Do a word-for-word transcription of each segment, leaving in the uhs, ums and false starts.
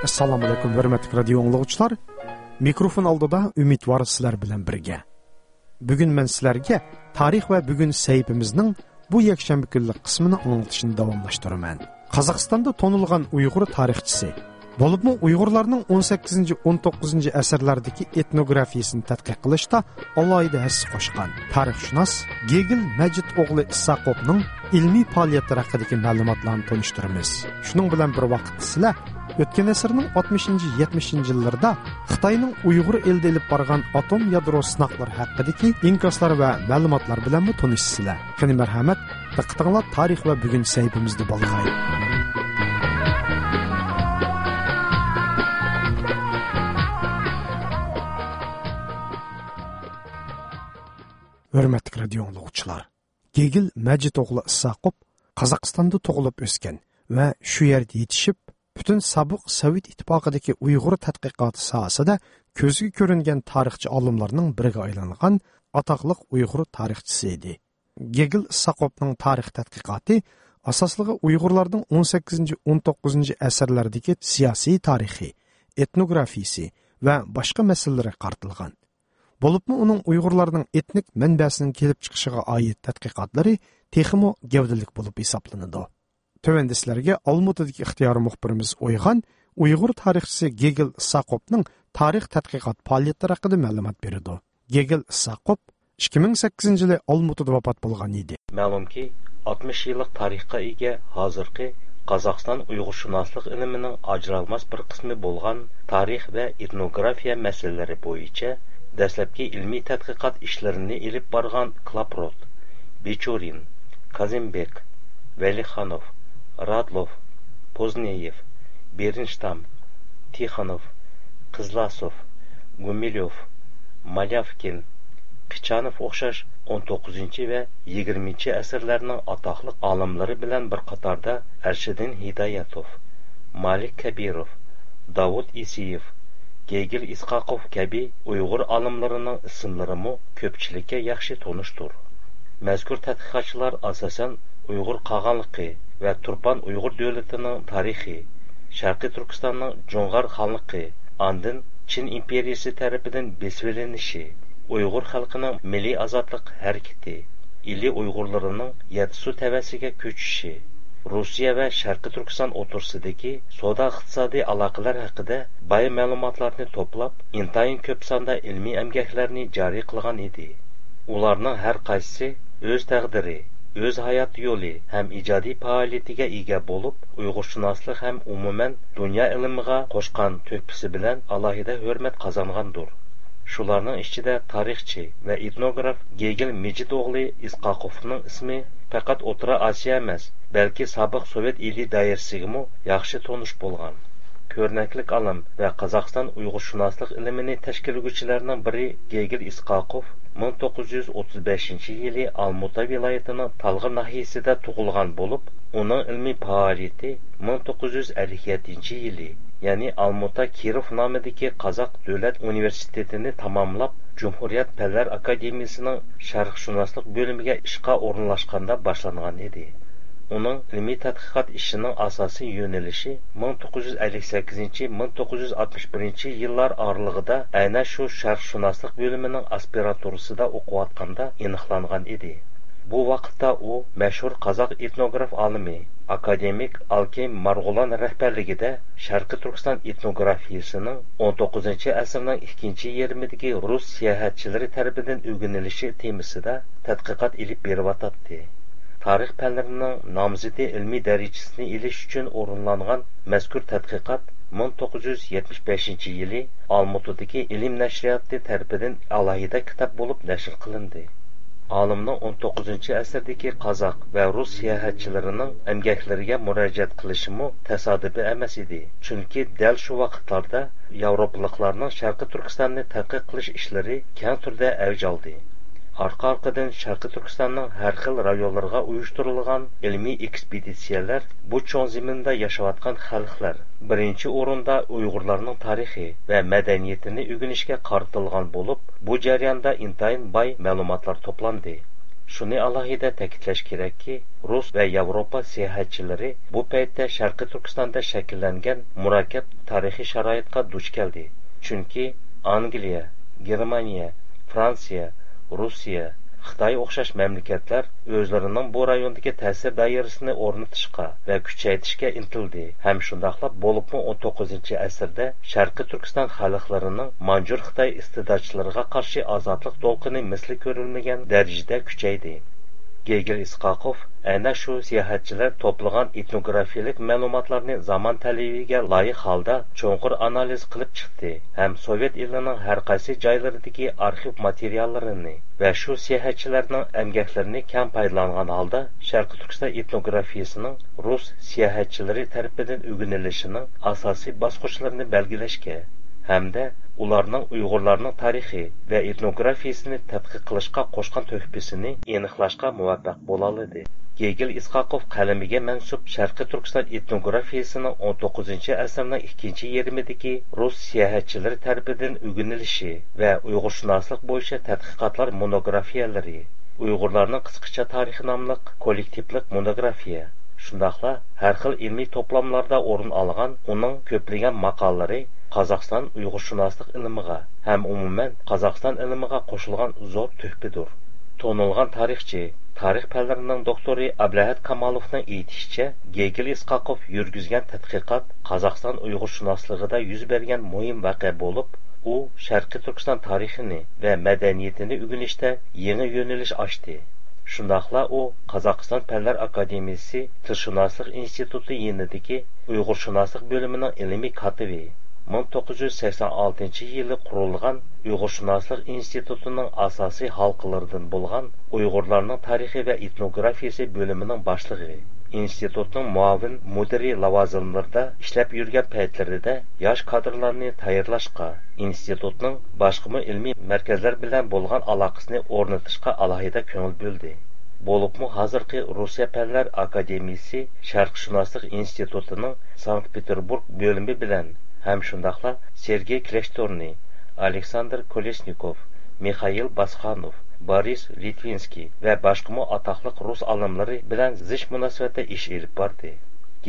ئەسسالامۇئەلەيكۇم، ھۆرمەتلىك رادىيو ئاڭلىغۇچىلار. مىكروفون ئالدىدا ئۈمىدۋار سىلەر بىلەن بىرگە. بۈگۈن مەن سىلەرگە تارىخ ۋە بۈگۈن سەھىپىمىزنىڭ بۇ يەكشەنبە كۈنلۈك قىسمىنى ئاڭلىتىشنى داۋاملاشتۇرىمەن. قازاقىستاندا تونۇلغان ئۇيغۇر تارىخچىسى، بولۇپمۇ ئۇيغۇرلارنىڭ ئون سەككىزىنچى، ئون توققۇزىنچى ئەسىرلەردىكى ئېتنوگرافىيىسىنى تەتقىق قىلىشتا ئالاھىدە ھەسسە قوشقان تارىخشۇناس گېگىل مەجىت ئوغلى ئىساقوفنىڭ ئىلمىي پائالىيەتلىرى ھەققىدىكى مەلۇماتلارنى تونۇشتۇرىمىز. شۇنىڭ بىلەن بىر ۋاقىتتا سىلەر ئۆتكەن ئەسىرنىڭ ئاتمىشىنچى، يەتمىشىنچى يىللىرىدا خىتاينىڭ ئۇيغۇر ئېلىدا ئېلىپ بارغان ئاتوم يادرو سىناقلىرى ھەققىدىكى ئىنكاسلار ۋە مەلۇماتلار بىلەنمۇ تونۇشىسىلەر. قېنى مەرھەمەت، دىققىتىڭلار تارىخ ۋە بۈگۈن سەھىپىمىزدە بولغاي. ھۆرمەتلىك رادىيو ئاڭلىغۇچىلار، گېگىل مەجىت ئوغلى ئىساقوف قازاقىستاندا تۇغۇلۇپ ئۆسكەن ۋە شۇ يەردە يېتىشىپ، پۈتۈن سابىق سوۋېت ئىتتىپاقىدىكى ئۇيغۇر تەتقىقاتى ساھەسىدە كۆزگە كۆرۈنگەن تارىخچى ئالىملارنىڭ بىرىگە ئايلانغان ئاتاقلىق ئۇيغۇر تارىخچىسى ئىدى. گېگىل ئىساقوفنىڭ تارىخ تەتقىقاتى ئاساسلىقى ئۇيغۇرلارنىڭ ئون سەككىزىنچى، ئون توققۇزىنچى ئەسىرلەردىكى سىياسىي تارىخى، ئېتنوگرافىيىسى ۋە باشقا مەسىلىلىرىگە قارىتىلغان. بولۇپمۇ ئۇنىڭ ئۇيغۇرلارنىڭ ئېتنىك مەنبەسىنىڭ كېلىپ چىقىشىغا ئائىت تەتقىقاتلىرى تېخىمۇ گەۋدىلىك بولۇپ ھېسابلىنىدۇ. تۆۋەندە سىلەرگە ئالمۇتىدىكى ئىختىيارىي مۇخبىرىمىز ئويغان ئۇيغۇر تارىخچىسى گېگىل ئىساقوفنىڭ تارىخ تەتقىقات پائالىيەتلىرى ھەققىدە مەلۇمات بېرىدۇ. گېگىل ئىساقوف ئىككى مىڭ سەككىزىنچى يىلى ئالمۇتىدا ۋاپات بولغان ئىدى. مەلۇمكى، ئاتمىش يىللىق تارىخقا ئىگە ھازىرقى قازاقىستان ئۇيغۇرشۇناسلىق ئىلمىنىڭ ئاجرالماس بىر قىسمى بولغان تارىخ ۋە ئېتنوگرافىيە مەسىلىلىرى بويىچە دەسلەپكى ئىلمىي تەتقىقات ئىشلىرىنى ئېلىپ بارغان كلاپروت، بىچۇرىن، كازىمبېك، ۋەلىخانوف، رادلوف، پوزنېيېف، بېرنشتام، تىخانوف، قىزلاسوف، گۇمىليوف، مالياۋكىن، قىچانوف ئوخشاش ئون توققۇزىنچى ۋە يىگىرمىنچى ئەسىرلەرنىڭ ئاتاقلىق ئالىملىرى بىلەن بىر قاتاردا ئەرشىدىن ھىدايەتوف، مالىك كەبىروف، داۋۇت ئىسىيېف، گېگىل ئىسقاقوف كەبى ئۇيغۇر ئالىملىرىنىڭ ئىسىملىرىمۇ كۆپچىلىككە ياخشى تونۇشتۇر. مەزكۇر تەتقىقاتچىلار ئاساسەن ئۇيغۇر قاغانلىقى ۋە تۇرپان ئۇيغۇر دۆلىتىنىڭ تارىخى، شەرقىي تۈركىستاننىڭ جۇڭغار خانلىقى، ئاندىن چىن ئىمپېرىيىسى تەرىپىدىن بېسىۋېلىنىشى، ئۇيغۇر خەلقىنىڭ مىللىي ئازادلىق ھەرىكىتى، ئىلى ئۇيغۇرلىرىنىڭ يەتتىسۇ تەۋەسىگە كۆچۈشى، روسىيە ۋە شەرقىي تۈركىستان ئوتتۇرىسىدىكى سودا ئىقتىسادىي ئالاقىلەر ھەققىدە باي مەلۇماتلارنى توپلاپ، ئىنتايىن كۆپ ساندا ئىلمىي ئەمگەكلەرنى جارى قىلغان ئىدى. ئۇلارنىڭ ھەر قايسىسى ئۆز تەقدىرى، ئۆز ھايات يولى ھەم ئىجادىي پائالىيىتىگە ئىگە بولۇپ، ئۇيغۇرشۇناسلىق ھەم ئومۇمەن دۇنيا ئىلمىغا قوشقان تۆھپىسى بىلەن ئالاھىدە ھۆرمەت قازانغاندۇر. شۇلارنىڭ ئىچىدە تارىخچى ۋە ئېتنوگراف گېگىل مىجىت ئوغلى ئىسقاقوفنىڭ ئىسمى پەقەت ئوتتۇرا ئاسىيا ئەمەس، بەلكى سابىق سوۋېت ئىلى دائىرىسىگىمۇ ياخشى تونۇش بولغان. كۆرنەكلىك ئالىم ۋە قازاقىستان ئۇيغۇرشۇناسلىق ئىلمىنى تەشكىللىگۈچىلەرنىڭ بىرى گېگىل ئىسقاقوف مىڭ توققۇز يۈز ئوتتۇز بەشىنچى يىلى ئالمۇتا ۋىلايىتىنىڭ تالغا ناھىيەسىدە تۇغۇلغان بولۇپ، ئۇنىڭ ئىلمىي پائالىيىتى مىڭ توققۇز يۈز ئەللىك يەتتىنچى يىلى، يەنى ئالمۇتا كىروف نامىدىكى قازاق دۆلەت ئۇنىۋېرسىتېتىنى تاماملاپ، جۇمھۇرىيەت پەنلەر ئاكادېمىيىسىنىڭ شەرقشۇناسلىق بۆلۈمىگە ئىشقا ئورۇنلاشقاندا باشلانغان ئىدى. ئۇنىڭ ئىلمىي تەتقىقات ئىشىنىڭ ئاساسىي يۆنىلىشى مىڭ توققۇز يۈز ئەللىك سەككىزىنچى، مىڭ توققۇز يۈز ئاتمىش بىرىنچى يىللار ئارىلىقىدا ئەنە شۇ شەرقشۇناسلىق بۆلۈمىنىڭ ئاسپىرانتۇرىسىدا ئوقۇۋاتقاندا ئېنىقلانغان ئىدى. بۇ ۋاقىتتا ئۇ مەشھۇر قازاق ئېتنوگراف ئالىمى، ئاكادېمىك ئالكىم مارغۇلان رەھبەرلىكىدە شەرقىي تۈركىستان ئېتنوگرافىيىسىنىڭ ئون توققۇزىنچى ئەسىرنىڭ ئىككىنچى يېرىمىدىكى رۇس ساياھەتچىلىرى تەرىپىدىن ئۆگىنىلىشى تېمىسىدا تەتقىقات ئېلىپ بېرىۋاتاتتى. تارىخ پەنلىرىنىڭ نامزىتى ئىلمىي دەرىجىسىنى ئېلىش ئۈچۈن ئورۇنلانغان مەزكۇر تەتقىقات مىڭ توققۇز يۈز يەتمىش بەشىنچى يىلى ئالمۇتىدىكى ئىلىم نەشرىياتى تەرىپىدىن ئالاھىدە كىتاب بولۇپ نەشر قىلىندى. ئالىمنىڭ ئون توققۇزىنچى ئەسىردىكى قازاق ۋە رۇس ساياھەتچىلىرىنىڭ ئەمگەكلىرىگە مۇراجىئەت قىلىشىمۇ تاسادىپىي ئەمەس ئىدى، چۈنكى دەل شۇ ۋاقىتلاردا ياۋروپىلىقلارنىڭ شەرقىي تۈركىستاننى تەتقىق قىلىش ئىشلىرى كەڭ تۈردە ئەۋج ئالدى. ئارقا-ئارقىدىن شەرقىي تۈركىستاننىڭ ھەر خىل رايونلىرىغا ئۇيۇشتۇرۇلغان ئىلمىي ئېكسپېدىتسىيەلەر بۇ چوڭ زېمىندا ياشاۋاتقان خەلقلەر، بىرىنچى ئورۇندا ئۇيغۇرلارنىڭ تارىخى ۋە مەدەنىيىتىنى ئۆگىنىشكە قارىتىلغان بولۇپ، بۇ جەرياندا ئىنتايىن باي مەلۇماتلار توپلاندى. شۇنى ئالاھىدە تەكىتلەش كېرەككى، رۇس ۋە ياۋروپا ساياھەتچىلىرى بۇ پەيتتە شەرقىي تۈركىستاندا شەكىللەنگەن مۇرەككەپ تارىخىي شارائىتقا دۇچ كەلدى. چۈنكى ئانگلىيە، گېرمانىيە، فرانسىيە، رۇسىيە، خىتاي ئوخشاش مەملىكەتلەر ئۆزلىرىنىڭ بۇ رايوندىكى تەسىر دائىرىسىنى ئورنىتىشقا ۋە كۈچەيتىشكە ئىنتىلدى ھەم شۇنداقلا بولۇپمۇ ئون توققۇزىنچى ئەسىردە شەرقىي تۈركىستان خەلقلىرىنىڭ مانجۇر خىتاي ئىستىبداتچىلىرىغا قارشى ئازادلىق دولقۇنى مىسلى كۆرۈلمىگەن دەرىجىدە كۈچەيدى. گېگېل ئىسقاقوف ئەنە شۇ ساياھەتچىلەر توپلىغان ئېتنوگرافىيەلىك مەلۇماتلارنى زامان تەلىپىگە لايىق ھالدا چوڭقۇر ئانالىز قىلىپ چىقتى ھەم سوۋېت ئېلىنىڭ ھەر قايسى جايلىرىدىكى ئارخىپ ماتېرىياللىرىنى ۋە شۇ ساياھەتچىلەرنىڭ ئەمگەكلىرىنى كەڭ پايدىلانغان ھالدا شەرقىي تۈركىستان ئېتنوگرافىيەسىنىڭ رۇس ساياھەتچىلىرى تەرىپىدىن ئۆگىنىلىشىنىڭ ئاساسىي باسقۇچلىرىنى بەلگىلەشكە ھەمدە ئۇلارنىڭ ئۇيغۇرلارنىڭ تارىخى ۋە ئېتنوگرافىيەسىنى تەتقىق قىلىشقا قوشقان تۆھپىسىنى ئېنىقلاشقا مۇۋەپپەق بولالىدى. گېگېل ئىسقاقوف قەلىمىگە مەنسۇپ شەرقىي تۈركىستان ئېتنوگرافىيەسىنىڭ ئون توققۇزىنچى ئەسىرنىڭ ئىككىنچى يېرىمىدىكى رۇس ساياھەتچىلىرى تەرىپىدىن ئۆگىنىلىشى ۋە ئۇيغۇرشۇناسلىق بويىچە تەتقىقاتلار مونوگرافىيەلىرى، ئۇيغۇرلارنىڭ قىسقىچە تارىخى ناملىق كوللېكتىپلىق مونوگرافىيە، شۇنداقلا ھەر خىل ئىلمىي توپلاملاردا ئورۇن ئالغان ئۇنىڭ كۆپلىگەن ماقالىلىرى قازاقىستان ئۇيغۇرشۇناسلىق ئىلمىغا ھەم ئومۇمەن قازاقىستان ئىلمىغا قوشۇلغان زور تۆھپىدۇر. تونۇلغان تارىخچى، تارىخ پەنلىرىنىڭ دوكتورى ئابلەھەت كامالوفنىڭ ئېيتىشىچە، گېگېل ئىسقاقوف يۈرگۈزگەن تەتقىقات قازاقىستان ئۇيغۇرشۇناسلىقىدا يۈز بەرگەن مۇھىم ۋەقە بولۇپ، ئۇ شەرقىي تۈركىستان تارىخىنى ۋە مەدەنىيىتىنى ئۆگىنىشتە يېڭى يۆنىلىش ئاچتى. شۇنداقلا ئۇ قازاقىستان پەنلەر ئاكادېمىيىسى تىلشۇناسلىق ئىنستىتۇتى يېنىدىكى ئۇيغۇرشۇناسلىق بۆلۈمىنىڭ ئىلمىي كاتىپى، مىڭ توققۇز يۈز سەكسەن ئالتىنچى يىلى قۇرۇلغان ئۇيغۇرشۇناسلىق ئىنستىتۇتىنىڭ ئاساسىي ھالقىلىرىدىن بولغان ئۇيغۇرلارنىڭ تارىخى ۋە ئېتنوگرافىيەسى بۆلۈمىنىڭ باشلىقى، ئىنستىتۇتنىڭ مۇئاۋىن مۇدىرى لاۋازىملىرىدا ئىشلەپ يۈرگەن پەيتلىرىدە ياش كادىرلارنى تەييارلاشقا، ئىنستىتۇتنىڭ باشقىمۇ ئىلمىي مەركەزلەر بىلەن بولغان ئالاقىسىنى ئورنىتىشقا ئالاھىدە كۆڭۈل بۆلدى. بولۇپمۇ ھازىرقى روسىيە پەنلەر ئاكادېمىيىسى شەرقشۇناسلىق ئىنستىتۇتىنىڭ سانكت پېتېربۇرگ بۆلۈمى بىلەن ھەم شۇنداقلا سېرگېي كلېشتورنى، ئالېكساندىر كولېسنىكوف، مىخائىل باسخانوف، بارىس لىتۋىنسكىي ۋە باشقىمۇ ئاتاقلىق رۇس ئالىملىرى بىلەن زىچ مۇناسىۋەتتە ئىش ئېلىپ باردى.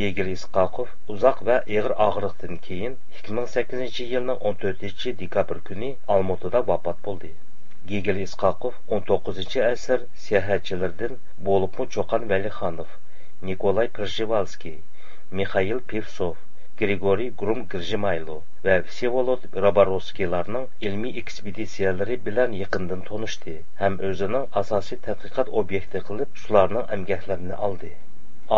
گېگېل ئىسقاقوف ئۇزاق ۋە ئېغىر ئاغرىقتىن كېيىن، ئىككى مىڭ سەككىزىنچى يىلنىڭ ئون تۆتىنچى دېكابىر كۈنى ئالمۇتىدا ۋاپات بولدى. گېگېل ئىسقاقوف ئون توققۇزىنچى ئەسىر ساياھەتچىلىرىدىن بولۇپمۇ چوقان ۋەلىخانوف، نىكولاي پرژېۋالسكىي، مىخائىل پېۋسوف، گرىگورىي گرۇم گىرژىمايلو ۋە ۋسېۋولود راباروۋسكىيلارنىڭ ئىلمىي ئېكسپېدىتسىيەلىرى بىلەن يېقىندىن تونۇشتى ھەم ئۆزىنىڭ ئاساسىي تەتقىقات ئوبيېكتى قىلىپ، شۇلارنىڭ ئەمگەكلىرىنى ئالدى.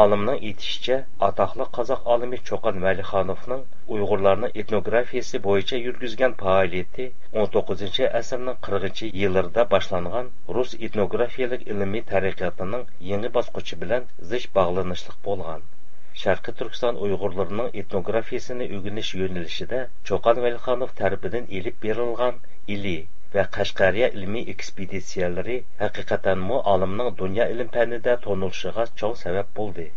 ئالىمنىڭ ئېيتىشىچە، ئاتاقلىق قازاق ئالىمى چوقان ۋەلىخانوفنىڭ ئۇيغۇرلارنىڭ ئېتنوگرافىيەسى بويىچە يۈرگۈزگەن پائالىيىتى ئون توققۇزىنچى ئەسىرنىڭ قىرىقىنچى يىللىرىدا باشلانغان رۇس ئېتنوگرافىيەلىك ئىلمىي تەرەققىياتىنىڭ يېڭى باسقۇچى بىلەن زىچ باغلىنىشلىق بولغان. شەرقىي تۈركىستان ئۇيغۇرلىرىنىڭ ئېتنوگرافىيەسىنى ئۆگىنىش يۆنىلىشىدە چوقان ۋەلىخانوف تەرىپىدىن ئېلىپ بېرىلغان ئىلى ۋە قەشقەرىيە ئىلمىي ئېكسپېدىتسىيەلىرى ھەقىقەتەنمۇ ئالىمنىڭ دۇنيا ئىلىم پەنىدە تونۇلۇشىغا چوڭ سەۋەب بولدى.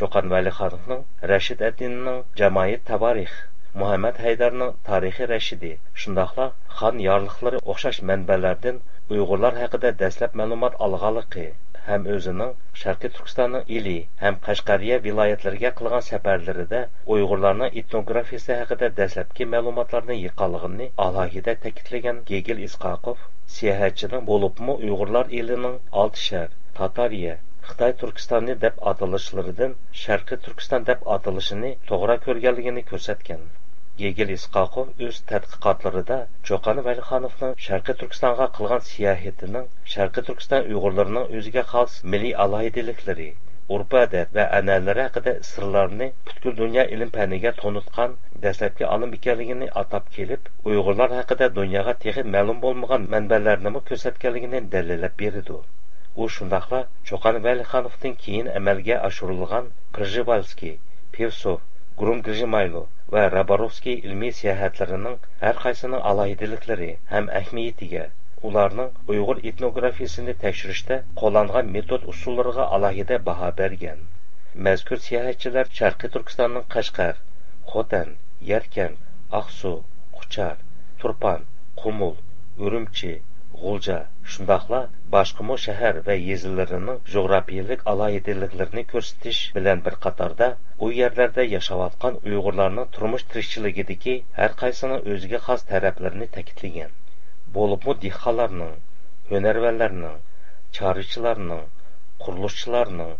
چوقان ۋەلىخانوفنىڭ رەشىد ئەددىنىنىڭ جامائىت تاۋارىخ، مۇھەممەد ھەيدەرنىڭ تارىخى رەشىدى، شۇنداقلا خان يارلىقلىرى ئوخشاش مەنبەلەردىن ئۇيغۇرلار ھەققىدە دەسلەپ مەلۇمات ئالغانلىقى ھەم ئۆزىنىڭ شەرقىي تۈركىستاننىڭ ئىلى ھەم قەشقەرىيە ۋىلايەتلىرىگە قىلغان سەپەرلىرىدە ئۇيغۇرلارنىڭ ئېتنوگرافىيىسى ھەققىدە دەسلەپكى مەلۇماتلارنى يىغقانلىقىنى ئالاھىدە تەكىتلىگەن گېگېل ئىسقاقوف، ساياھەتچىنىڭ بولۇپمۇ ئۇيغۇرلار ئېلىنىڭ ئالتە شەھەر، تاتارىيە، خىتاي تۈركىستانى دەپ ئاتىلىشلىرىدىن شەرقىي تۈركىستان دەپ ئاتىلىشىنى توغرا كۆرگەنلىكىنى كۆرسەتكەن. گېگېل ئىسقاقوف ئۆز تەتقىقاتلىرىدا چوقان ۋەلىخانوفنىڭ شەرقىي تۈركىستانغا قىلغان ساياھىتىنىڭ شەرقىي تۈركىستان ئۇيغۇرلىرىنىڭ ئۆزىگە خاس مىللىي ئالاھىدىلىكلىرى، ئۆرپ-ئادەت ۋە ئەنئەنىلىرى ھەققىدە سىرلارنى پۈتكۈل دۇنيا ئىلىم پەنىگە تونۇتقان دەسلەپكى ئالىم ئىكەنلىكىنى ئاتاپ كېلىپ، ئۇيغۇرلار ھەققىدە دۇنياغا تېخى مەلۇم بولمىغان مەنبەلەرنىمۇ كۆرسەتكەنلىكىنى دەلىللەپ بېرىدۇ. ئۇ شۇنداقلا چوقان ۋەلىخانوفتىن كېيىن ئەمەلگە ئاشۇرۇلغان پرژېۋالسكىي، پېۋسوف، گرۇم گىرژىمايلو ۋە راباروۋسكىي ئىلمىي ساياھەتلىرىنىڭ ھەر قايسىنىڭ ئالاھىدىلىكلىرى ھەم ئەھمىيىتىگە، ئۇلارنىڭ ئۇيغۇر ئېتنوگرافىيىسىنى تەكشۈرۈشتە قوللانغان مېتود ئۇسۇللىرىغا ئالاھىدە باھا بەرگەن. مەزكۇر ساياھەتچىلەر شەرقىي تۈركىستاننىڭ قەشقەر، خوتەن، يەركەنت، ئاقسۇ، قۇچار، تۇرپان، قۇمۇل، ئۈرۈمچى، غۇلجا، شۇنداقلا باشقىمۇ شەھەر ۋە يېزىلىرىنىڭ جۇغراپىيەلىك ئالاھىدىلىكلىرىنى كۆرسىتىش بىلەن بىر قاتاردا، ئۇ يەرلەردە ياشاۋاتقان ئۇيغۇرلارنىڭ تۇرمۇش تىرىكچىلىكىدىكى ھەر قايسىنىڭ ئۆزىگە خاس تەرەپلىرىنى تەكىتلىگەن. بولۇپمۇ دېھقانلارنىڭ، ھۈنەرۋەنلەرنىڭ، چارۋىچىلارنىڭ، قۇرۇلۇشچىلارنىڭ،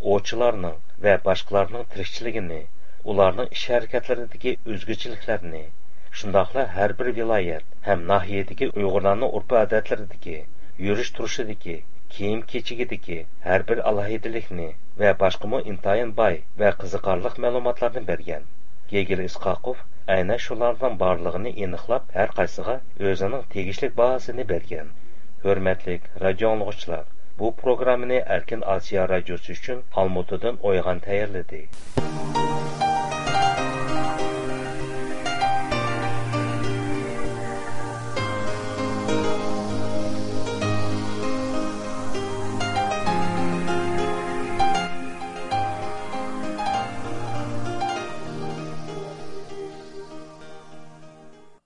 ئوۋچىلارنىڭ ۋە باشقىلارنىڭ تىرىكچىلىكىنى، ئۇلارنىڭ ئىش ھەرىكەتلىرىدىكى ئۆزگىچىلىكلەرنى، شۇنداقلا ھەر بىر ۋىلايەت ھەم ناھىيەدىكى ئۇيغۇرلارنىڭ ئۆرپ-ئادەتلىرىدىكى، يۈرۈش-تۇرۇشىدىكى، كىيىم-كېچىكىدىكى ھەر بىر ئالاھىدىلىكنى ۋە باشقىمۇ ئىنتايىن باي ۋە قىزىقارلىق مەلۇماتلارنى بەرگەن. گېگېل ئىسقاقوف ئەينەن شۇلارنىڭ بارلىقىنى ئېنىقلاپ، ھەر قايسىغا ئۆزىنىڭ تېگىشلىك باھاسىنى بەرگەن. ھۆرمەتلىك رادىيو ئاڭلىغۇچىلار، بۇ پروگراممىنى ئەركىن ئاسىيا رادىيوسى ئۈچۈن ئالمۇتىدىن ئويغان تەييارلىدى.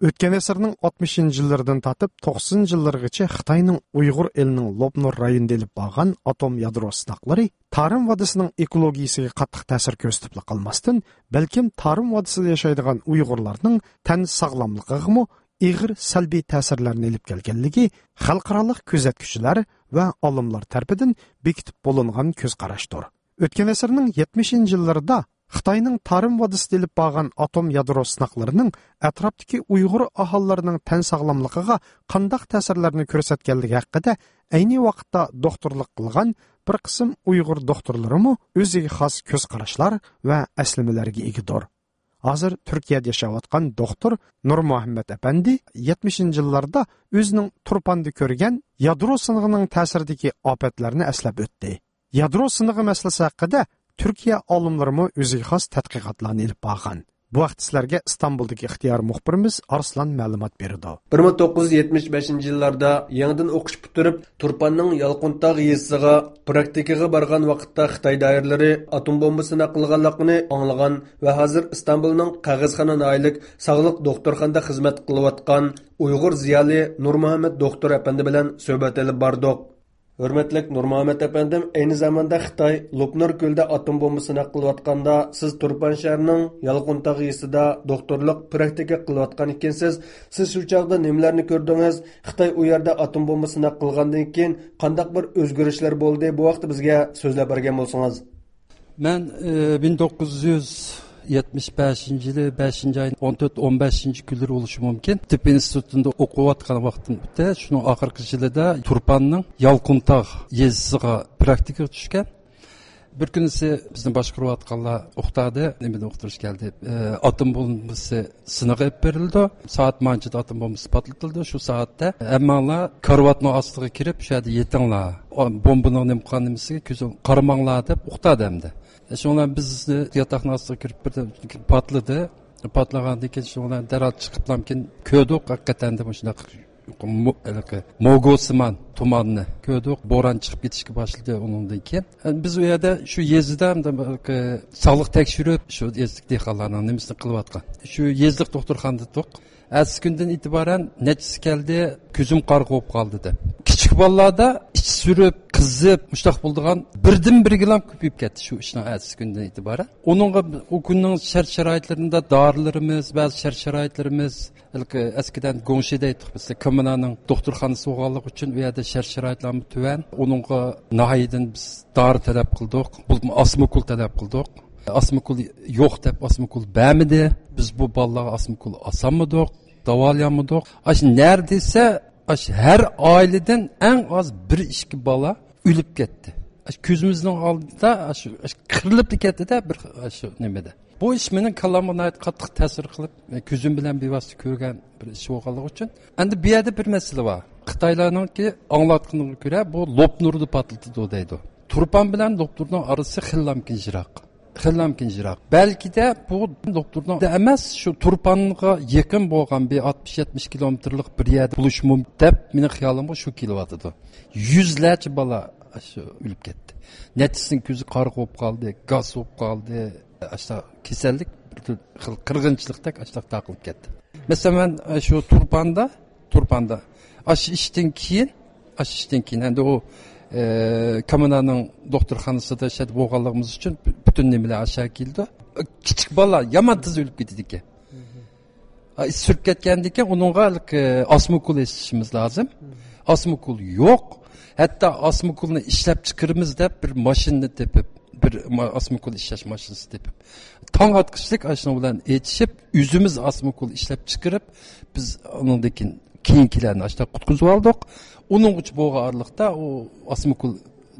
ئۆتكەن ئەسىرنىڭ ئاتمىشىنچى يىللىرىدىن تارتىپ توقسىنىنچى يىللىرىغىچە خىتاينىڭ ئۇيغۇر ئېلىنىڭ لوپنۇر رايونىدا ئېلىپ بارغان ئاتوم يادرو سىناقلىرى تارىم ۋادىسىنىڭ ئېكولوگىيىسىگە قاتتىق تەسىر كۆرسىتىپلا قالماستىن، بەلكىم تارىم ۋادىسىدا ياشايدىغان ئۇيغۇرلارنىڭ تەن ساغلاملىقىغىمۇ ئېغىر سەلبىي تەسىرلەرنى ئېلىپ كەلگەنلىكى خەلقئارالىق كۆزەتكۈچىلەر ۋە ئالىملار تەرىپىدىن بېكىتىپ بولۇنغان كۆز قاراشتۇر. ئۆتكەن ئەسىرنىڭ يەتمىشىنچى يىللىرىدا خىتاينىڭ تارىم ۋادىسىدا ئېلىپ بارغان ئاتوم يادرو سىناقلىرىنىڭ ئەتراپتىكى ئۇيغۇر ئاھالىلىرىنىڭ تەن ساغلاملىقىغا قانداق تەسىرلەرنى كۆرسەتكەنلىكى ھەققىدە ئەينى ۋاقىتتا دوختۇرلۇق قىلغان بىر قىسىم ئۇيغۇر دوختۇرلىرىمۇ ئۆزىگە خاس كۆز قاراشلار ۋە ئەسلىمىلەرگە ئىگىدۇر. ھازىر تۈركىيەدە ياشاۋاتقان دوختۇر نۇرمۇھەممەت ئەپەندى يەتمىشىنچى يىللاردا ئۆزىنىڭ تۇرپاندا كۆرگەن يادرو سىنىقىنىڭ تەسىرىدىكى ئاپەتلەرنى ئەسلەپ ئۆتتى. يادرو سىنىقى مەسىلىسى ھەققىدە تۈركىيە ئالىملىرىمۇ ئۆزىگە خاس تەتقىقاتلارنى ئېلىپ بارغان. بۇ ھەقتە سىلەرگە ئىستانبۇلدىكى ئىختىيارىي مۇخبىرىمىز ئارسلان مەلۇمات بېرىدۇ. بىر مىڭ توققۇز يۈز يەتمىش بەشىنچى يىللاردا يېڭىدىن ئوقۇش پۈتتۈرۈپ، تۇرپاننىڭ يالقۇنتاغ يېزىسىغا پراكتىكىغا بارغان ۋاقىتتا خىتاي دائىرىلىرى ئاتوم بومبا سىناق قىلغانلىقىنى ئاڭلىغان ۋە ھازىر ئىستانبۇلنىڭ قەغەزخانا ناھىيىلىك ساغلىق دوختۇرخانىدا خىزمەت قىلىۋاتقان ئۇيغۇر زىيالىي نۇرمۇھەممەت دوختۇر ئەپەندى بىلەن سۆھبەت ئېلىپ باردۇق. ھۆرمەتلىك نۇرمۇھەممەت ئەپەندىم، ئەينى زاماندا خىتاي لوپنۇر كۆلىدە ئاتوم بومبا سىناق قىلىۋاتقاندا، سىز تۇرپان شەھىرىنىڭ يالقۇنتاغ يېزىسىدا دوختۇرلۇق پراكتىكا قىلىۋاتقان ئىكەنسىز. سىز شۇ چاغدا نېمىلەرنى كۆردىڭىز؟ خىتاي ئۇ يەردە ئاتوم بومبا سىناق قىلغاندىن كېيىن قانداق بىر ئۆزگىرىشلەر بولدى؟ بۇ ھەقتە بىزگە سۆزلەپ بەرگەن بولسىڭىز. مەن، ئى، مىڭ توققۇز يۈز يەتمىش بەشىنچى يىلى بەشىنچى ئاينىڭ ئون تۆت، ئون بەشىنچى كۈنلىرى بولۇشى مۇمكىن. تىببىي ئىنستىتۇتىندا ئوقۇۋاتقان ۋاقتىمدا، شۇنىڭ ئاخىرقى يىلىدا تۇرپاننىڭ يالقۇنتاغ يېزىسىغا پراكتىكىغا چۈشكەن. بىر كۈنىسى بىزنى باشقۇرۇۋاتقانلار ئۇقتۇردى، نېمىدىن ئۇقتۇرۇش كەلدى؟ ئى، ئاتوم بومبىسى سىنىقى ئېلىپ بېرىلىدۇ. سائەت مانچىدا ئاتوم بومبىسى پارتلىتىلىدۇ. شۇ سائەتتە ھەممەڭلار كارىۋاتنىڭ ئاستىغا كىرىپ، شۇ يەردە يېتىڭلار. ئا، بومبىنىڭ نېمە قىلغان نېمىسىگە كۆزۈڭ قارىماڭلار دەپ ئۇقتۇردى ئەمدى. شۇنىڭ بىلەن بىز ياتاقنىڭ ئاستىغا كىرىپ بىردەم پارتلىدى. پارتلىغاندىن كېيىن شۇنىڭ بىلەن دەرھال چىقىپلامكىن كۆردۇق، ھەقىقەتەن دە مۇشۇنداق مو-، ھېلىقى موگوسىمان تۇماننى كۆردۇق. بوران چىقىپ كېتىشكە باشلىدى ئۇنىڭدىن كېيىن. بىز ئۇ يەردە شۇ يېزىدا ھېلىقى ساغلىق تەكشۈرۈپ، شۇ يېزىلىق دېھقانلارنىڭ نېمىسىنى قىلىۋاتقان. شۇ يېزىلىق دوختۇرخانىدا تۇردۇق. ئەتىسى كۈندىن ئېتىبارەن نەچچىسى كەلدى، كۆزۈم قارىغا بولۇپ قالدى دەپ. كىچىك بالىلاردا ئىچى سۈرۈپ، قىزىپ، مۇشۇنداق بولىدىغان بىردىن بىرگىلا كۆپىيىپ كەتتى شۇ ئىشنىڭ ئەتىسى كۈندىن ئېتىبارەن. ئۇنىڭغا ئۇ كۈننىڭ شەرت-شارائىتلىرىدا دارىلىرىمىز، بەزى شەرت-شارائىتلىرىمىز، ھېلىقى ئەسكىدەن گۇڭشې دەيتتۇق بىز، كوممۇنانىڭ دوختۇرخانىسى بولغانلىقى ئۈچۈن ئۇ يەردە شەرت-شارائىتلارمۇ تۆۋەن. ئۇنىڭغا ناھىيەدىن بىز دارى تەلەپ قىلدۇق، بولۇپمۇ ئاسمىكۇل تەلەپ قىلدۇق. ئاسمىكۇل يوق دەپ ئاسمىكۇل بەرمىدى. بىز بۇ بالىلارغا ئاسمىكۇل ئاسالمىدۇق، داۋالىيالمىدۇق. ئاشۇ نەدە دېسە، ئاشۇ ھەر ئائىلىدىن ئەڭ ئاز بىر ئىككى بالا ئۆلۈپ كەتتى. ئاشۇ كۆزىمىزنىڭ ئالدىدا ئاشۇ، ئاشۇ قىرىلىپلا كەتتىدە بىر ئاشۇ نېمىدە. بۇ ئىش مېنىڭ كاللامغا ناھايىتى قاتتىق تەسىر قىلىپ، كۆزۈم بىلەن بىۋاسىتە كۆرگەن بىر ئىش بولغانلىقى ئۈچۈن. ئەمدى بۇ يەردە بىر مەسىلە بار. خىتايلارنىڭكى ئاڭلاتقىنىغا كۆرە، بۇ لوپنۇردا پارتلىتىدۇ دەيدۇ. تۇرپان بىلەن لوپنۇرنىڭ ئارىسى خېلىلامكىن يىراق. خېلىلامكىن يىراق. بەلكىدە بۇ لوپنۇرنىڭ ئەمەس، شۇ تۇرپانغا يېقىن بولغان بىر ئاتمىش يەتمىش كىلومېتىرلىق بىر يەردە بولۇشى مۇمكىن دەپ مېنىڭ خىيالىمغا شۇ كېلىۋاتىدۇ. يۈزلەرچە بالا شۇ ئۆلۈپ كەتتى. نەچچىسىنىڭ كۆزى قارىغا بولۇپ قالدى، گاس بولۇپ قالدى. ئاشۇنداق كېسەللىك بىر خىل قىرغىنچىلىقتەك ئاشۇنداق تارقىلىپ كەتتى. مەسىلەن، مەن شۇ تۇرپاندا، تۇرپاندا ئاشۇ ئىشتىن كېيىن ئاشۇ ئىشتىن كېيىن ئەمدى ئۇ، ئە، كامېنانىڭ دوختۇرخانىسىدا شەدە بولغانلىقىمىز ئۈچۈن پۈتۈن نېمىلەر ئاشۇ كېلىدۇ. كىچىك بالىلار يامان تېز ئۆلۈپ كېتىدىكەن. ئا، سۈرۈپ كەتكەندىن كېيىن ئۇنىڭغا، ئە، ئاسما ئوكۇل ئېسىشىمىز لازىم. ئاسما ئوكۇل يوق. ھەتتا ئاسما ئوكۇلنى ئىشلەپ چىقىرىمىز دەپ بىر ماشىنىنى تېپىپ، بىر ما-، ئاسما ئوكۇل ئىشلەش ماشىنىسى تېپىپ، تاڭ ئاتقۇچىلىق ئاشۇنىڭ بىلەن ئېتىشىپ، ئۆزىمىز ئاسما ئوكۇل ئىشلەپ چىقىرىپ، بىز ئۇنىڭدىن كېيىن كېيىنكىلەرنى ئاشۇنداق قۇتقۇزۇۋالدۇق. ئۇنىڭغىچە بولغان ئارىلىقتا، ئۇ ئاسما ئوكۇل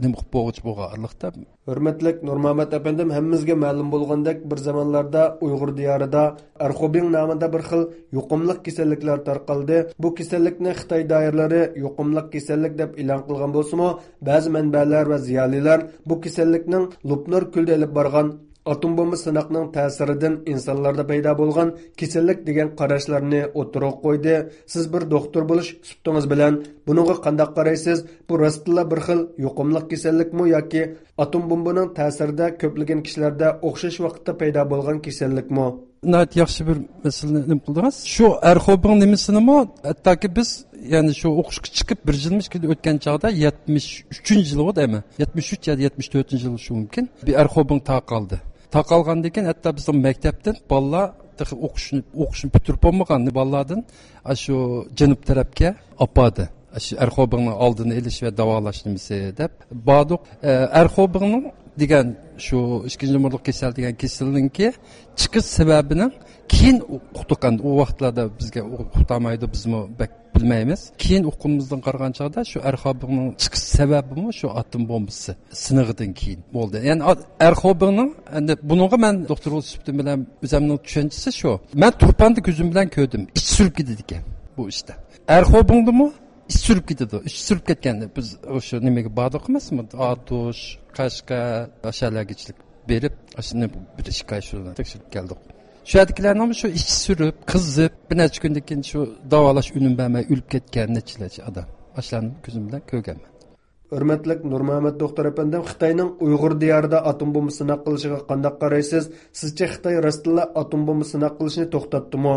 نېمە قىلىپ بولغۇچە بولغان ئارىلىقتا. ھۆرمەتلىك نۇرمۇھەممەت ئەپەندىم، ھەممىمىزگە مەلۇم بولغاندەك، بىر زامانلاردا ئۇيغۇر دىيارىدا ئەرخۇبىڭ نامىدا بىر خىل يۇقۇملۇق كېسەللىكلەر تارقالدى. بۇ كېسەللىكنى خىتاي دائىرىلىرى يۇقۇملۇق كېسەللىك دەپ ئېلان قىلغان بولسىمۇ، بەزى مەنبەلەر ۋە زىيالىيلار بۇ كېسەللىكنىڭ لوپنۇر كۆلىدە ئېلىپ بارغان ئاتوم بومبا سىناقنىڭ تەسىرىدىن ئىنسانلاردا پەيدا بولغان كېسەللىك دېگەن قاراشلارنى ئوتتۇرىغا قويدى. سىز بىر دوختۇر بولۇش سۈپىتىڭىز بىلەن بۇنىڭغا قانداق قارايسىز؟ بۇ راستتىنلا بىر خىل يۇقۇملۇق كېسەللىكمۇ ياكى ئاتوم بومبىنىڭ تەسىرىدە كۆپلىگەن كىشىلەردە ئوخشاش ۋاقىتتا پەيدا بولغان كېسەللىكمۇ؟ ناھايىتى ياخشى بىر مەسىلىنى نېمە قىلدىڭىز. شۇ ئەرخوبىڭ نېمىسىنىمۇ، ھەتتاكى بىز، يەنى شۇ ئوقۇشقا چىقىپ بىر يىلمۇ ئىككى يىل ئۆتكەن چاغدا، يەتمىش ئۈچىنچى يىلىغۇ دەيمەن. يەتمىش ئۈچ يا يەتمىش تۆتىنچى يىل شۇ مۇمكىن. بىر ئەرخوبىڭ تارقالدى. تارقالغاندىن كېيىن ھەتتا بىزنىڭ مەكتەپتىن بالىلار تېخى ئوقۇشنى، ئوقۇشنى پۈتتۈرۈپ بولمىغان بالىلاردىن ئاشۇ جەنۇب تەرەپكە ئاپاردى. ئاشۇ ئەرخوبىڭنىڭ ئالدىنى ئېلىش ۋە داۋالاش نېمىسى دەپ باردۇق. ئە، ئەرخوبىڭنىڭ دېگەن شۇ ئىككىنچى نومۇرلۇق كېسەل دېگەن كېسىلنىڭكى چىقىش سەۋەبىنىڭ كېيىن ئۇقتۇق. ئەمدى ئۇ ۋاقىتلاردا بىزگە ئۇقتۇرمايدۇ، بىزمۇ بەك بىلمەيمىز. كېيىن ئۇققىنىمىزدىن قارىغان چاغدا شۇ ئەرخوبىڭنىڭ چىقىش سەۋەبىمۇ شۇ ئاتوم بومبىسى سىنىغىدىن كېيىن بولدى. يەنى ئا-، ئەرخوبىڭنىڭ، ئەمدى بۇنىڭغا مەن دوختۇر بولۇش سۈپىتىم بىلەن ئۆزۈمنىڭ چۈشەنچىسى شۇ. مەن تۇرپاندا كۆزۈم بىلەن كۆردۈم. ئىچ سۈرۈپ كېتىدىكەن بۇ ئىشتا. ئەرخوبىڭدىمۇ ئىچ سۈرۈپ كېتىدۇ. ئىچ سۈرۈپ كەتكەندە بىز ئوشۇ نېمىگە باردۇق ئەمەسمۇ؟ ئاتۇش، قەشقەر، ئاشۇ يەرلەرگىچىلىك بېرىپ، ئاشۇنى بىر ئىككى ئاي شۇنى تەكشۈرۈپ كەلدۇق. شۇ يەردىكىلەرنىڭمۇ شۇ ئىچ سۈرۈپ، قىزىپ، بىر نەچچە كۈندىن كېيىن شۇ داۋالاش ئۈنۈم بەرمەي ئۆلۈپ كەتكەن نەچچىلەرچە ئادەم. ئاشۇلارنى كۆزۈم بىلەن كۆرگەنمەن. ھۆرمەتلىك نۇرمۇھەممەت دوختۇر ئەپەندىم، خىتاينىڭ ئۇيغۇر دىيارىدا ئاتوم بومبا سىناق قىلىشىغا قانداق قارايسىز؟ سىزچە خىتاي راستتىنلا ئاتوم بومبا سىناق قىلىشنى توختاتتىمۇ؟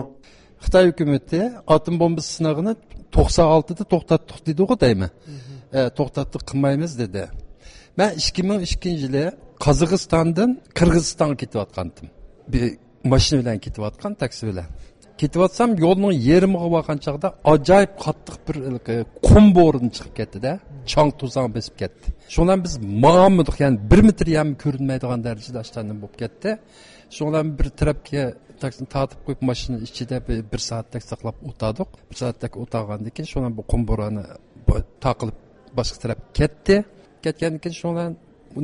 خىتاي ھۆكۈمىتى ئاتوم بومبىسى سىنىغىنى توقسان ئالتىدا توختاتتۇق دېدىغۇ دەيمەن. ئە، توختاتتۇق، قىلمايمىز دېدى. مەن ئىككى مىڭ ئىككىنچى يىلى قازاقىستاندىن قىرغىزىستانغا كېتىۋاتقانتىم. بىر ماشىنا بىلەن كېتىۋاتقان، تاكسى بىلەن. كېتىۋاتسام، يولنىڭ يېرىمىغا بارغان چاغدا ئاجايىپ قاتتىق بىر، ئە، قۇم بورىنى چىقىپ كەتتى-دە، چاڭ-توزان بېسىپ كەتتى. شۇنىڭ بىلەن بىز ماڭالمىدۇق، يەنى بىر مېتىر يەرمۇ كۆرۈنمەيدىغان دەرىجىدە ئاشۇنداق بولۇپ كەتتى. شۇنىڭ بىلەن بىر تەرەپكە تاكسىنى تارتىپ قويۇپ، ماشىنا ئىچىدە بىر، بىر سائەتتەك ساقلاپ ئولتۇردۇق. بىر سائەتتەك ئولتۇرغاندىن كېيىن، شۇنىڭ بىلەن بۇ قۇم بورانى تارقىلىپ باشقا تەرەپكە كەتتى. كەتكەندىن كېيىن، شۇنىڭ بىلەن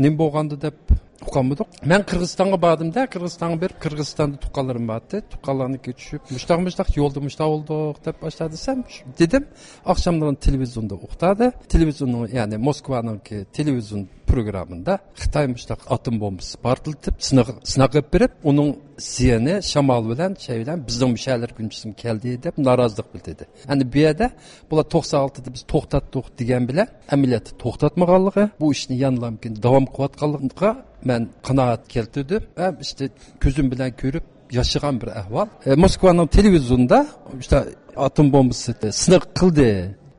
نېمە بولغاندۇ دەپ ئۇقالمىدۇق. مەن قىرغىزىستانغا باردىم-دە، قىرغىزىستانغا بېرىپ، قىرغىزىستاندا تۇغقانلىرىم بارتى. تۇغقانلارنىڭكىگە چۈشۈپ، مۇشتاق، مۇشتاق يولدا مۇشتاق بولدۇق دەپ باشتا دېسەم، دېدىم. ئاخشاملىرى تېلېۋىزىيوندا ئۇقتۇردى. تېلېۋىزىيوننىڭ، يەنى موسكۋانىڭكى تېلېۋىزىيون پروگراممىدا خىتاي مۇشتاق ئاتوم بومبىسى پارتلىتىپ، سىناق، سىناق ئېلىپ بېرىپ، ئۇنىڭ زىيىنى شامال بىلەن، شەي بىلەن بىزنىڭ مۇشۇ يەرلەرگە ئۈنچىسىمۇ كەلدى دەپ نارازىلىق بىلدۈردى. ئەمدى بۇ يەردە بۇلار توقسان ئالتىدا بىز توختاتتۇق دېگەن بىلەن ئەمەلىيەتتە توختاتمىغانلىقى، بۇ ئىشنى يەنىلا مۇمكىن داۋام قىلىۋاتقانلىقىغا مەن قانائەت كەلتۈردۈم ۋە ئىشتە كۆزۈم بىلەن كۆرۈپ ياشىغان بىر ئەھۋال. ئە، موسكۋانىڭ تېلېۋىزىيونىدا ئىشتە ئاتوم بومبىسى سىناق قىلدى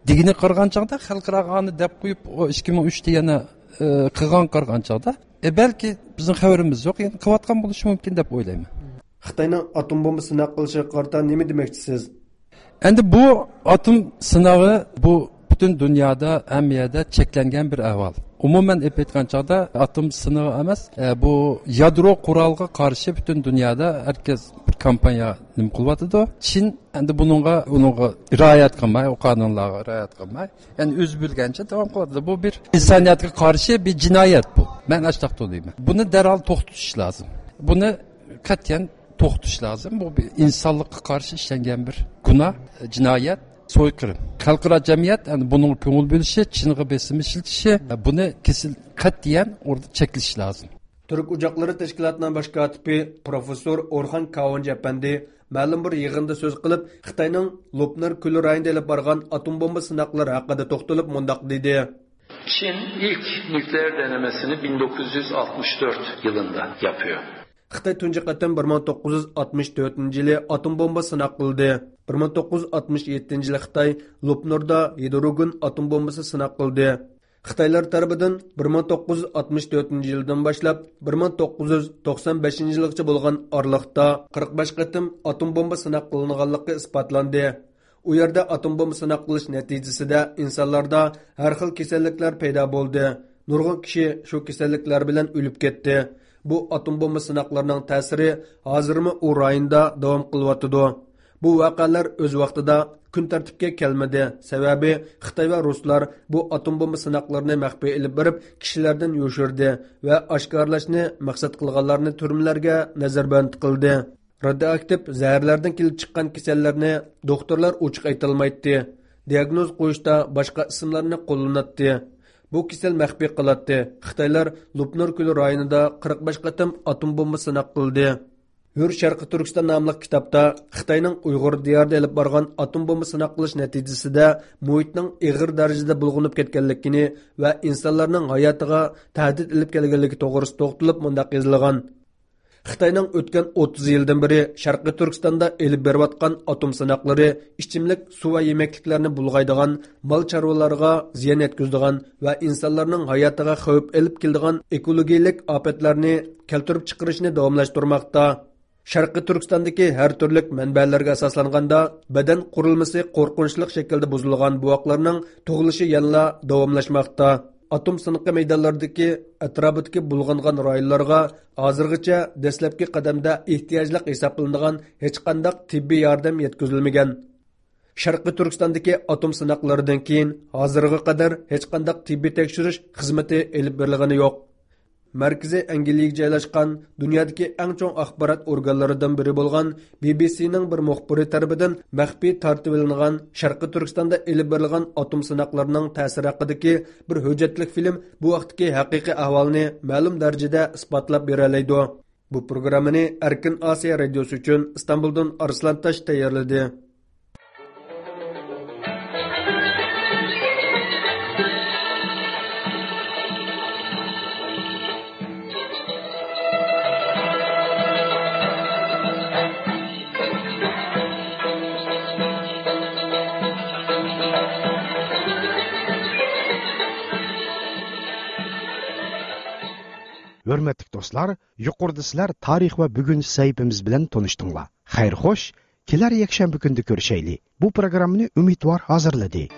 دېگىنى قارىغان چاغدا، خەلقئاراغا ئانى دەپ قويۇپ، ئۇ ئىككى مىڭ ئۈچتە يەنە، ئە، قىلغان قارىغان چاغدا، ئە، بەلكى بىزنىڭ خەۋىرىمىز يوق، يەنە قىلىۋاتقان بولۇشى مۇمكىن دەپ ئويلايمەن. خىتاينىڭ ئاتوم بومبا سىناق قىلىشىغا قارىتا نېمە دېمەكچىسىز؟ ئەمدى بۇ ئاتوم سىناغى بۇ پۈتۈن دۇنيادا ھەممە يەردە چەكلەنگەن بىر ئەھۋال. ئومۇمەن ئېلىپ ئېيتقان چاغدا ئاتوم سىنىغى ئەمەس، ئە، بۇ يادرو قورالغا قارشى پۈتۈن دۇنيادا ھەركەس بىر كامپانىيە نېمە قىلىۋاتىدۇ. چىن ئەمدى بۇنىڭغا، ئۇنىڭغا رىئايەت قىلماي، ئۇ قانۇنلارغا رىئايەت قىلماي، يەنى ئۆزى بىلگەنچە داۋام قىلىۋاتىدۇ. بۇ بىر ئىنسانىيەتكە قارشى بىر جىنايەت بۇ. مەن ئاشۇنداق دەيمەن. بۇنى دەرھال توختىتىش لازىم. بۇنى قەتئىيەن توختىتىش لازىم. بۇ بىر ئىنسانلىققا قارشى ئىشلەنگەن بىر گۇناھ، جىنايەت، سويقىرىم. خەلقئارا جەمئىيەت ئەمدى بۇنىڭغا كۆڭۈل بۆلۈشى، چىنغا بېسىم ئىشلىتىشى، بۇنى كېسىل، قەتئىيەن ئوردا چەكلىشى لازىم. تۈرك ئوچاقلىرى تەشكىلاتىنىڭ باش كاتىپى پروفېسسور ئورخان كاۋانجى ئەپەندى مەلۇم بىر يىغىندا سۆز قىلىپ، خىتاينىڭ لوپنۇر كۆلى رايونىدا ئېلىپ بارغان ئاتوم بومبا سىناقلىرى ھەققىدە توختىلىپ مۇنداق دېدى. Çin ilk nükleer denemesini bin dokuz yüz altmış dört yılında yapıyor. خىتاي تۇنجى قېتىم بىر مىڭ توققۇز يۈز ئاتمىش تۆتىنچى يىلى ئاتوم بومبا سىناق قىلدى. بىر مىڭ توققۇز يۈز ئاتمىش يەتتىنچى يىلى خىتاي لوپنۇردا ھىدروگېن ئاتوم بومبىسى سىناق قىلدى. خىتايلار تەرىپىدىن بىر مىڭ توققۇز يۈز ئاتمىش تۆتىنچى يىلدىن باشلاپ بىر مىڭ توققۇز يۈز توقسان بەشىنچى يىلغىچە بولغان ئارىلىقتا قىرىق بەش قېتىم ئاتوم بومبا سىناق قىلىنغانلىقى ئىسپاتلاندى. ئۇ يەردە ئاتوم بومبا سىناق قىلىش نەتىجىسىدە ئىنسانلاردا ھەر خىل كېسەللىكلەر پەيدا بولدى. نۇرغۇن كىشى شۇ كېسەللىكلەر بىلەن ئۆلۈپ كەتتى. بۇ ئاتوم بومبا سىناقلىرىنىڭ تەسىرى ھازىرمۇ ئۇ رايوندا داۋام قىلىۋاتىدۇ. بۇ ۋەقەلەر ئۆز ۋاقتىدا كۈن تەرتىپكە كەلمىدى، سەۋەبى خىتاي ۋە رۇسلار بۇ ئاتوم بومبا سىناقلىرىنى مەخپىي ئېلىپ بېرىپ، كىشىلەردىن يوشۇردى ۋە ئاشكارىلاشنى مەقسەت قىلغانلارنى تۈرمىلەرگە نەزەربەند قىلدى. رادىئوئاكتىپ زەھەرلەردىن كېلىپ چىققان كېسەللەرنى دوختۇرلار ئوچۇق ئېيتالمايتتى. دىئاگنوز قويۇشتا باشقا ئىسىملارنى قوللىناتتى. بۇ كېسەل مەخپىي قالاتتى. خىتايلار لوپنۇر كۆلى رايونىدا قىرىق بەش قېتىم ئاتوم بومبا سىناق قىلدى. ھۆر شەرقىي تۈركىستان ناملىق كىتابتا خىتاينىڭ ئۇيغۇر دىيارىدا ئېلىپ بارغان ئاتوم بومبا سىناق قىلىش نەتىجىسىدە مۇھىتنىڭ ئېغىر دەرىجىدە بۇلغىنىپ كەتكەنلىكىنى ۋە ئىنسانلارنىڭ ھاياتىغا تەھدىت ئېلىپ كەلگەنلىكى توغرىسىدا توختىلىپ مۇنداق يېزىلغان: خىتاينىڭ ئۆتكەن ئوتتۇز يىلدىن بېرى شەرقىي تۈركىستاندا ئېلىپ بېرىۋاتقان ئاتوم سىناقلىرى ئىچىملىك سۇ ۋە يېمەكلىكلەرنى بۇلغايدىغان، مال چارۋىلارغا زىيان يەتكۈزىدىغان ۋە ئىنسانلارنىڭ ھاياتىغا خەۋپ ئېلىپ كېلىدىغان ئېكولوگىيىلىك ئاپەتلەرنى كەلتۈرۈپ چىقىرىشنى داۋاملاشتۇرماقتا. شەرقىي تۈركىستاندىكى ھەر تۈرلۈك مەنبەلەرگە ئاساسلانغاندا، بەدەن قۇرۇلمىسى قورقۇنچلۇق شەكىلدە بۇزۇلغان بوۋاقلارنىڭ تۇغۇلۇشى يەنىلا داۋاملاشماقتا. ئاتوم سىنىقى مەيدانلىرىدىكى ئەتراپىدىكى بۇلغانغان رايونلارغا ھازىرغىچە دەسلەپكى قەدەمدە ئېھتىياجلىق ھېسابلىنىدىغان ھېچقانداق تېببىي ياردەم يەتكۈزۈلمىگەن. شەرقىي تۈركىستاندىكى ئاتوم سىناقلىرىدىن كېيىن ھازىرغا قەدەر ھېچقانداق تېببىي تەكشۈرۈش خىزمىتى ئېلىپ بېرىلغىنى يوق. مەركىزى ئەنگلىيەگە جايلاشقان دۇنيادىكى ئەڭ چوڭ ئاخبارات ئورگانلىرىدىن بىرى بولغان بى بى سىنىڭ بىر مۇخبىرى تەرىپىدىن مەخپىي تارتىۋېلىنغان شەرقىي تۈركىستاندا ئېلىپ بېرىلغان ئاتوم سىناقلىرىنىڭ تەسىرى ھەققىدىكى بىر ھۆججەتلىك فىلىم بۇ ھەقتىكى ھەقىقىي ئەھۋالنى مەلۇم دەرىجىدە ئىسپاتلاپ بېرەلەيدۇ. بۇ پروگراممىنى ئەركىن ئاسىيا رادىيوسى ئۈچۈن ئىستانبۇلدىن ئارسلان تاش تەييارلىدى. ھۆرمەتلىك دوستلار، يۇقىرىدا سىلەر تارىخ ۋە بۈگۈن سەھىپىمىز بىلەن تونۇشتۇڭلار. خەير خوش، كېلەر يەكشەنبە كۈندە كۆرۈشەيلى. بۇ پروگراممىنى ئۈمىدۋار ھازىرلىدى.